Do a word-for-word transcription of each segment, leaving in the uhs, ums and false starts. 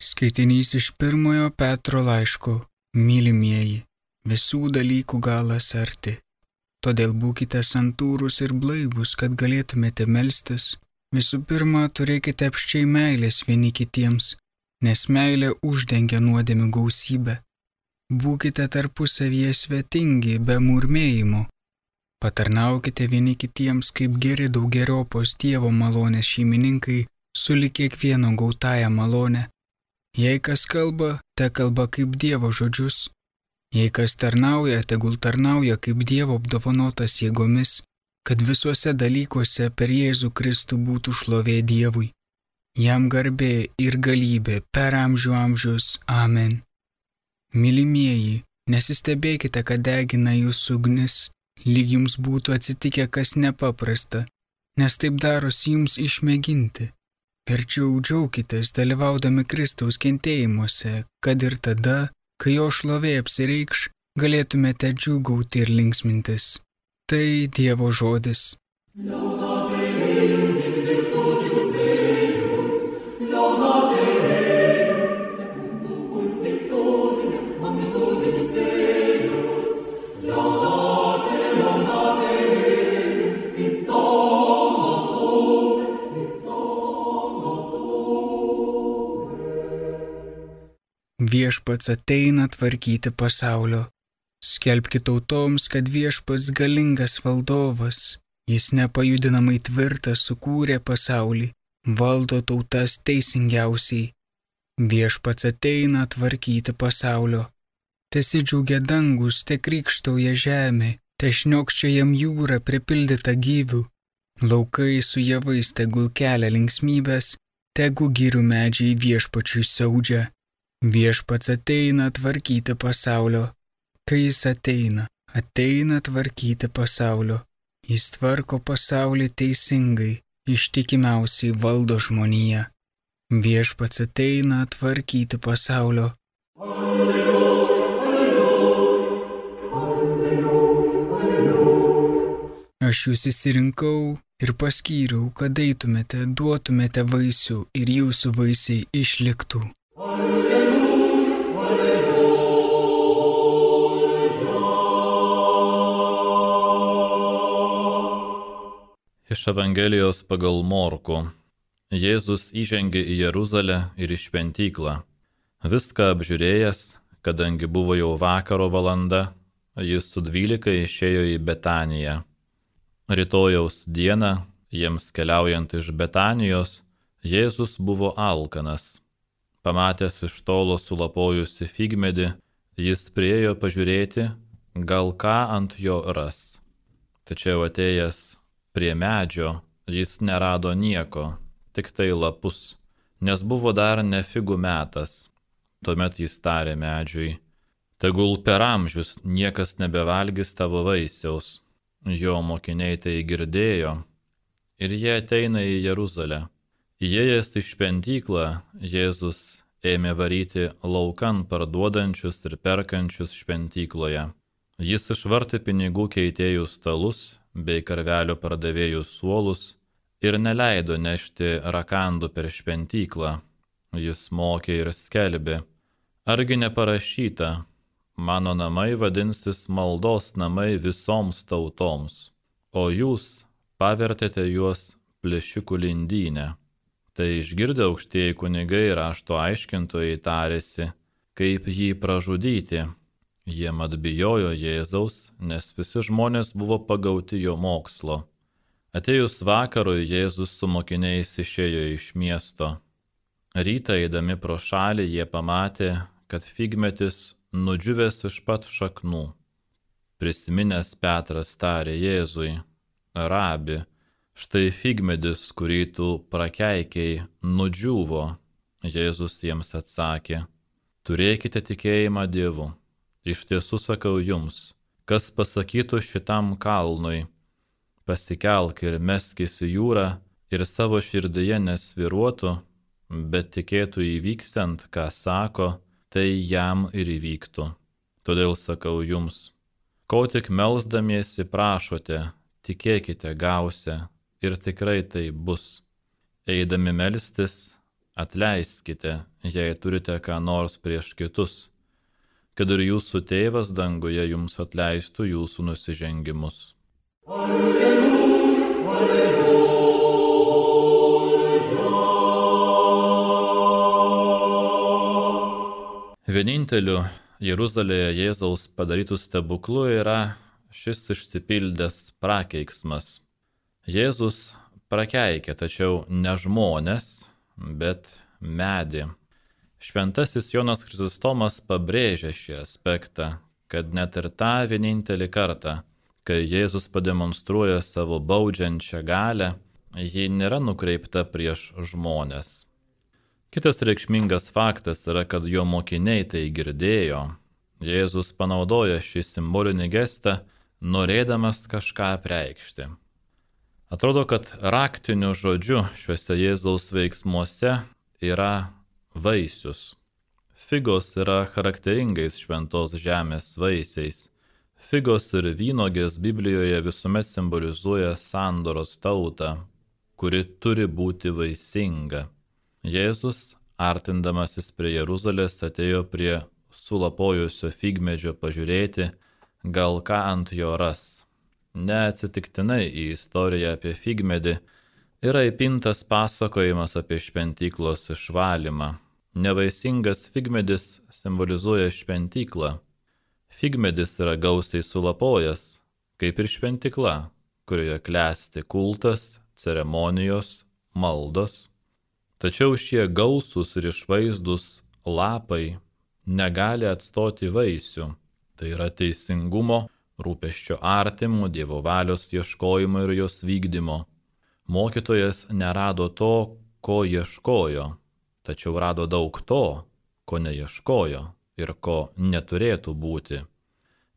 Skaitinys iš pirmojo Petro laiško. Mylimieji, visų dalykų galas arti. Todėl būkite santūrūs ir blaivūs, kad galėtumėte melstis. Visų pirma, turėkite apsčiai meilės vieni kitiems, nes meilė uždengia nuodėmių gausybę. Būkite tarpusavyje svetingi, be murmėjimo. Patarnaukite vieni kitiems kaip geri daugeriopos Dievo malonės šeimininkai, sulig kiekvieno gautąją malonę. Jei kas kalba, te kalba kaip Dievo žodžius. Jei kas tarnauja, tegul tarnauja kaip Dievo apdovanotas jėgomis, kad visuose dalykuose per Jėzų Kristų būtų šlovė Dievui. Jam garbė ir galybė per amžių amžius. Amen. Mylimieji, nesistebėkite, kad degina jūsų ugnis, lyg jums būtų atsitikę kas nepaprasta, nes taip darosi jums išmėginti. Verčiau džiaukitės dalyvaudami Kristaus kentėjimuose, kad ir tada, kai jo šlovė apsireikš, galėtumėte džiūgauti ir linksmintis. Tai Dievo žodis. Viešpats ateina tvarkyti pasaulio. Skelbki tautoms, kad viešpats galingas valdovas, jis nepajudinamai tvirtas sukūrė pasaulį, valdo tautas teisingiausiai. Viešpats ateina tvarkyti pasaulio. Tesidžiaugia dangus, te krykštauja žemė, te šniokščia jam jūra pripildyta gyvių. Laukai su javais tegul kelia linksmybės, tegu girių medžiai viešpačiui siaudžia. Viešpats ateina tvarkyti pasaulio. Kai jis ateina, ateina tvarkyti pasaulio. Jis tvarko pasaulį teisingai, ištikimiausiai valdo žmoniją. Viešpats ateina tvarkyti pasaulio. Alleluja, alleluja, alleluja, alleluja. Aš jūs išsirinkau ir paskyriau, kad eitumėte, duotumėte vaisių ir jūsų vaisiai išliktų. Iš Evangelijos pagal Morkų. Jėzus įžengė į Jeruzalę ir į šventyklą. Viską apžiūrėjęs, kadangi buvo jau vakaro valanda, jis su dvylika išėjo į Betaniją. Rytojaus dieną, jiems keliaujant iš Betanijos, Jėzus buvo alkanas. Pamatęs iš tolo sulapojusi figmedį, jis priėjo pažiūrėti, gal ką ant jo ras. Tačiau atėjęs prie medžio, jis nerado nieko, tik tai lapus, nes buvo dar ne figų metas. Tuomet jis tarė medžiui, tegul per amžius niekas nebevalgys tavo vaisiaus. Jo mokiniai tai girdėjo ir jie ateina į Jeruzalę. Įėjęs į šventyklą, Jėzus ėmė varyti laukan parduodančius ir perkančius šventykloje. Jis išvartė pinigų keitėjų stalus bei karvelių pardavėjų suolus ir neleido nešti rakandų per šventyklą. Jis mokė ir skelbė, argi neparašyta, mano namai vadinsis maldos namai visoms tautoms, o jūs pavertėte juos plėšikų lindynę. Tai išgirdę aukštieji kunigai ir rašto aiškintojai tarėsi, kaip jį pražudyti. Jie mat bijojo Jėzaus, nes visi žmonės buvo pagauti jo mokslo. Atėjus vakarui, Jėzus su mokiniais išėjo iš miesto. Rytą eidami pro šalį jie pamatė, kad figmetis nudžiūvęs iš pat šaknų. Prisiminęs Petras tarė Jėzui, Rabi, štai figmedis, kurį tu prakeikiai, nudžiūvo. Jėzus jiems atsakė, turėkite tikėjimą Dievu. Iš tiesų sakau jums, kas pasakytų šitam kalnui, pasikelk ir meskis į jūrą ir savo širdyje nesviruotų, bet tikėtų įvyksiant, ką sako, tai jam ir įvyktų. Todėl sakau jums, ko tik melsdamiesi prašote, tikėkite gausią ir tikrai tai bus. Eidami melstis, atleiskite, jei turite ką nors prieš kitus, kad ir jūsų tėvas danguje jums atleistų jūsų nusižengimus. Alleluja, alleluja. Vieninteliu Jeruzalėje Jėzaus padarytų stebuklų yra šis išsipildęs prakeiksmas. Jėzus prakeikė, tačiau ne žmones, bet medį. Šventasis Jonas Chrizostomas pabrėžia šį aspektą, kad net ir tą vienintelį kartą, kai Jėzus pademonstruoja savo baudžiančią galią, ji nėra nukreipta prieš žmones. Kitas reikšmingas faktas yra, kad jo mokiniai tai girdėjo. Jėzus panaudoja šį simbolinį gestą, norėdamas kažką apreikšti. Atrodo, kad raktiniu žodžiu šiuose Jėzaus veiksmuose yra vaisius. Figos yra charakteringais šventos žemės vaisiais. Figos ir vynogės Biblijoje visuomet simbolizuoja sandoros tautą, kuri turi būti vaisinga. Jėzus, artindamasis prie Jeruzalės, atėjo prie sulapojusio figmedžio pažiūrėti, gal ką ant jo ras. Neatsitiktinai į istoriją apie figmedį yra įpintas pasakojimas apie šventyklos išvalymą. Nevaisingas figmedis simbolizuoja šventyklą. Figmedis yra gausiai sulapojęs, kaip ir šventykla, kurioje klesti kultas, ceremonijos, maldos. Tačiau šie gausūs ir išvaizdūs lapai negali atstoti vaisių. Tai yra teisingumo, rūpesčio artimų, Dievo valios ieškojimo ir jos vykdymo. Mokytojas nerado to, ko ieškojo, tačiau rado daug to, ko neieškojo ir ko neturėtų būti.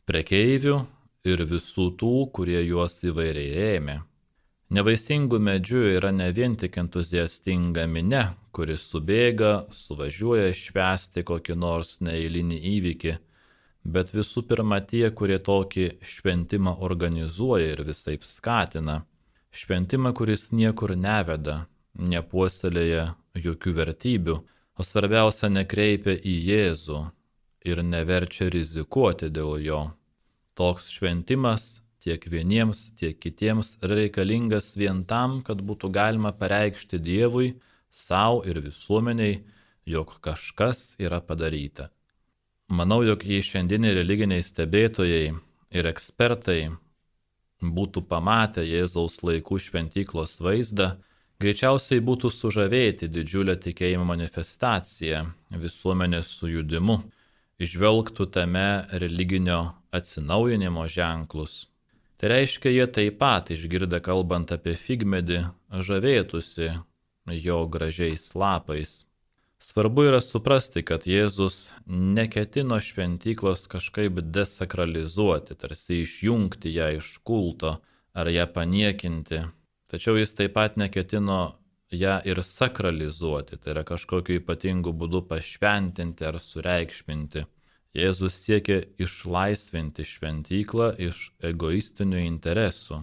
Prekeivių ir visų tų, kurie juos įvairiai ėmė. Nevaisingų medžių yra ne vien tik entuziastinga minia, kuri subėga, suvažiuoja švęsti kokį nors neeilinį įvykį, bet visų pirma tie, kurie tokį šventimą organizuoja ir visaip skatina. Šventimą, kuris niekur neveda, nepuoselėja jokių vertybių, o svarbiausia nekreipia į Jėzų ir neverčia rizikuoti dėl jo. Toks šventimas tiek vieniems, tiek kitiems reikalingas vien tam, kad būtų galima pareikšti Dievui, savo ir visuomeniai, jog kažkas yra padaryta. Manau, jog jei šiandieniai religiniai stebėtojai ir ekspertai būtų pamatę Jėzaus laikų šventyklos vaizdą, greičiausiai būtų sužavėti didžiulę tikėjimo manifestaciją, visuomenės sujudimu, įžvelgtų tame religinio atsinaujinimo ženklus. Tai reiškia, jie taip pat, išgirdę kalbant apie figmedį, žavėtųsi jo gražiais lapais. Svarbu yra suprasti, kad Jėzus neketino šventyklos kažkaip desakralizuoti, tarsi išjungti ją iš kulto ar ją paniekinti. Tačiau jis taip pat neketino ją ir sakralizuoti, tai yra kažkokiu ypatingu būdu pašventinti ar sureikšminti. Jėzus siekė išlaisvinti šventyklą iš egoistinių interesų,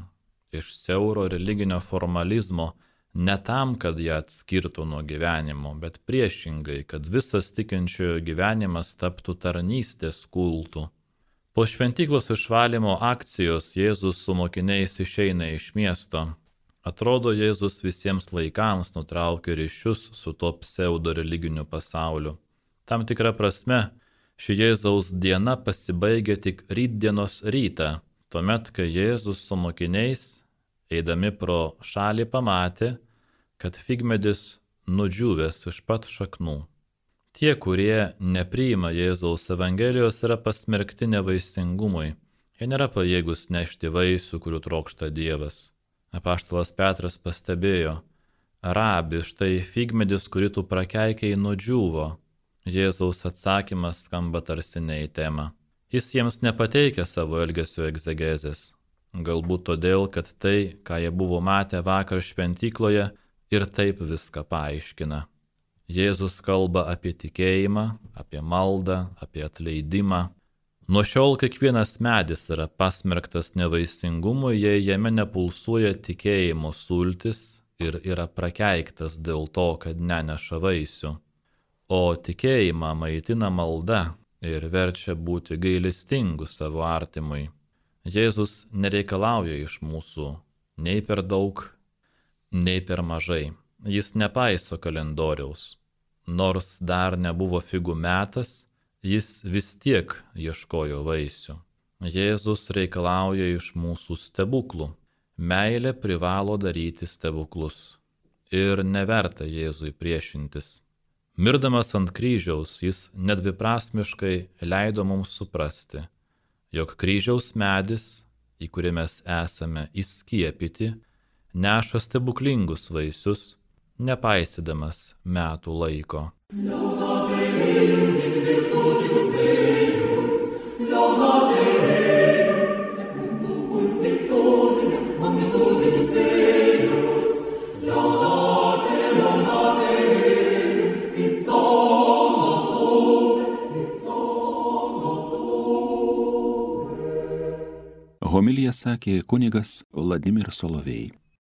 iš siauro religinio formalizmo, ne tam, kad ją atskirtų nuo gyvenimo, bet priešingai, kad visas tikinčiojo gyvenimas taptų tarnystės kultu. Po šventyklos išvalymo akcijos Jėzus su mokiniais išeina iš miesto. Atrodo, Jėzus visiems laikams nutraukė ryšius su to pseudo religiniu pasauliu. Tam tikra prasme, ši Jėzaus diena pasibaigia tik rytdienos rytą, tuomet, kai Jėzus su mokiniais, eidami pro šalį, pamatė, kad figmedis nudžiūvęs iš pat šaknų. Tie, kurie nepriima Jėzaus Evangelijos, yra pasmerkti nevaisingumui. Jie nėra pajėgus nešti vaisių, kurių trokšta Dievas. Apaštalas Petras pastebėjo, Rabi, štai figmedis, kurį tu prakeikiai, nudžiūvo. Jėzaus atsakymas skamba tarsi ne į temą. Jis jiems nepateikia savo elgesio egzegezės. Galbūt todėl, kad tai, ką jie buvo matę vakar šventykloje, ir taip viską paaiškina. Jėzus kalba apie tikėjimą, apie maldą, apie atleidimą. Nuo šiol kiekvienas medis yra pasmerktas nevaisingumui, jei jame nepulsuoja tikėjimo sultis ir yra prakeiktas dėl to, kad neneša vaisių. O tikėjimą maitina malda ir verčia būti gailestingu savo artimui. Jėzus nereikalauja iš mūsų nei per daug, nei per mažai. Jis nepaiso kalendoriaus. Nors dar nebuvo figų metas, jis vis tiek ieškojo vaisių. Jėzus reikalauja iš mūsų stebuklų. Meilė privalo daryti stebuklus. Ir neverta Jėzui priešintis. Mirdamas ant kryžiaus jis nedviprasmiškai leido mums suprasti, jog kryžiaus medis, į kurį mes esame įskiepyti, neša stebuklingus vaisius, nepaisydamas metų laiko. Homiliją sakė kunigas Vladimir Solovej.